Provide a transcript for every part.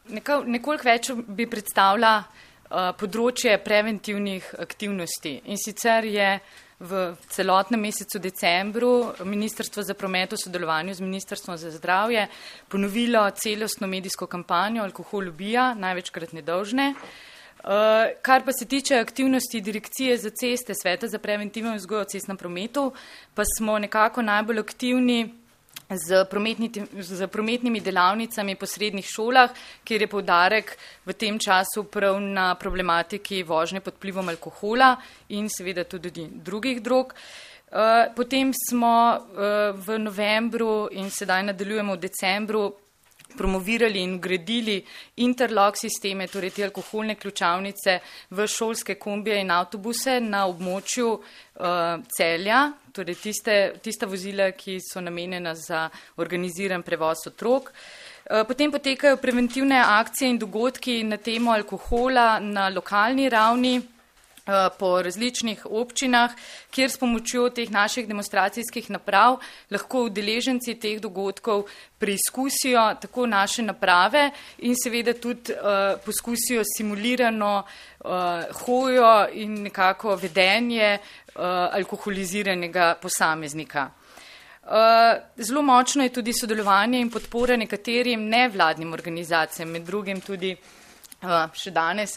nekoliko več bi predstavila področje preventivnih aktivnosti. In sicer je v celotnem mesecu decembru Ministrstvo za promet v sodelovanju z Ministrstvom za zdravje ponovilo celostno medijsko kampanjo Alkohol ubija, največkrat nedolžne. Kar pa se tiče aktivnosti Direkcije za ceste, Sveta za preventivno vzgojo v cestnem prometu, pa smo nekako najbolj aktivni z prometnimi delavnicami po srednjih šolah, kjer je poudarek v tem času prav na problematiki vožnje pod vplivom alkohola in seveda tudi drugih drog. Potem smo v novembru in sedaj nadaljujemo v decembru promovirali in gradili interlock sisteme, torej te alkoholne ključavnice v šolske kombije in avtobuse na območju Celja, torej tista vozila, ki so namenjena za organiziran prevoz otrok. Potem potekajo preventivne akcije in dogodki na temo alkohola na lokalni ravni po različnih občinah, kjer s pomočjo teh naših demonstracijskih naprav lahko udeleženci teh dogodkov preizkusijo tako naše naprave in seveda tudi poskusijo simulirano hojo in nekako vedenje alkoholiziranega posameznika. Zelo močno je tudi sodelovanje in podpora nekaterim nevladnim organizacijam, med drugim tudi še danes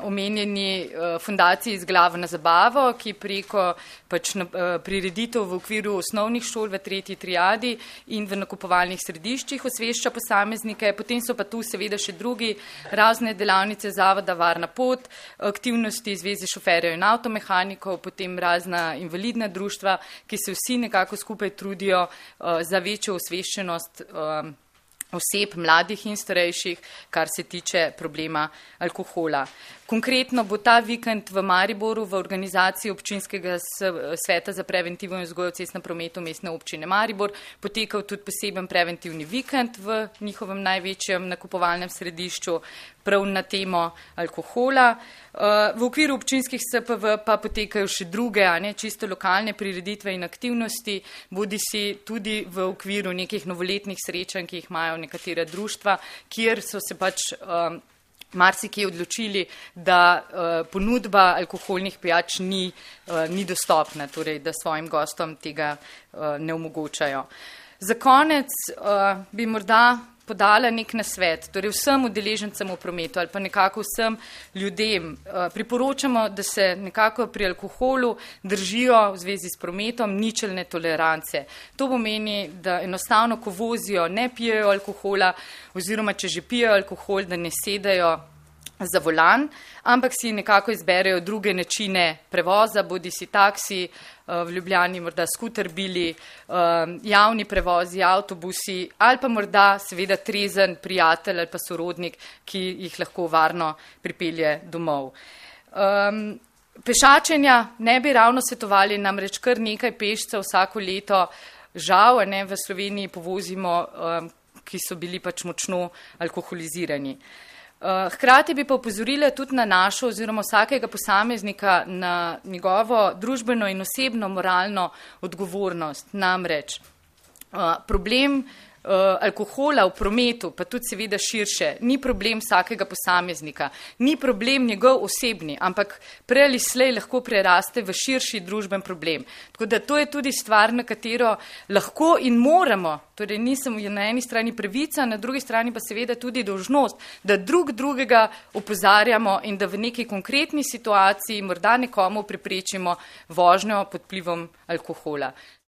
omenjeni fundaciji Z glavo na zabavo, ki preko prireditev v okviru osnovnih šol v 3. triadi in v nakupovalnih središčih osvešča posameznike. Potem so pa tu seveda še drugi razne delavnice Zavoda Varna pot, aktivnosti Zveze šoferjev in avtomehanikov, potem razna invalidna društva, ki se vsi nekako skupaj trudijo za večjo osveščenost oseb, mladih in starejših, kar se tiče problema alkohola. Konkretno bo ta vikend v Mariboru v organizaciji občinskega sveta za preventivno vzgojo v cestnem prometu Mestne občine Maribor potekal tudi poseben preventivni vikend v njihovem največjem nakupovalnem središču prav na temo alkohola. V okviru občinskih SPV pa potekajo še druge, čisto lokalne prireditve in aktivnosti, bodisi tudi v okviru nekih novoletnih srečanj, ki jih imajo nekatera društva, kjer so se marsikje odločili, da ponudba alkoholnih pijač ni dostopna, torej da svojim gostom tega ne omogočajo. Za konec bi morda podala nek nasvet, torej vsem udeležencem v prometu ali pa nekako vsem ljudem priporočamo, da se nekako pri alkoholu držijo v zvezi s prometom ničelne tolerance. To pomeni, da enostavno, ko vozijo, ne pijejo alkohola oziroma če že pijejo alkohol, da ne sedajo za volan, ampak si nekako izberejo druge načine prevoza, bodisi taksi, v Ljubljani morda skuterbili, javni prevozi, avtobusi ali pa morda seveda trezen prijatelj ali pa sorodnik, ki jih lahko varno pripelje domov. Pešačenja ne bi ravno svetovali, namreč kar nekaj pešcev vsako leto, žal v Sloveniji povozimo, ki so bili močno alkoholizirani. Hkrati bi pa opozorila tudi na našo oziroma vsakega posameznika na njegovo družbeno in osebno moralno odgovornost. Namreč problem alkohola v prometu, pa tudi seveda širše, ni problem vsakega posameznika, ni problem njegov osebni, ampak prej ali slej lahko preraste v širši družben problem. Tako da to je tudi stvar, na katero lahko in moramo, torej nisem na eni strani pravica, na drugi strani pa seveda tudi dolžnost, da drugega opozarjamo in da v neki konkretni situaciji morda nekomu preprečimo vožnjo pod vplivom alkohola.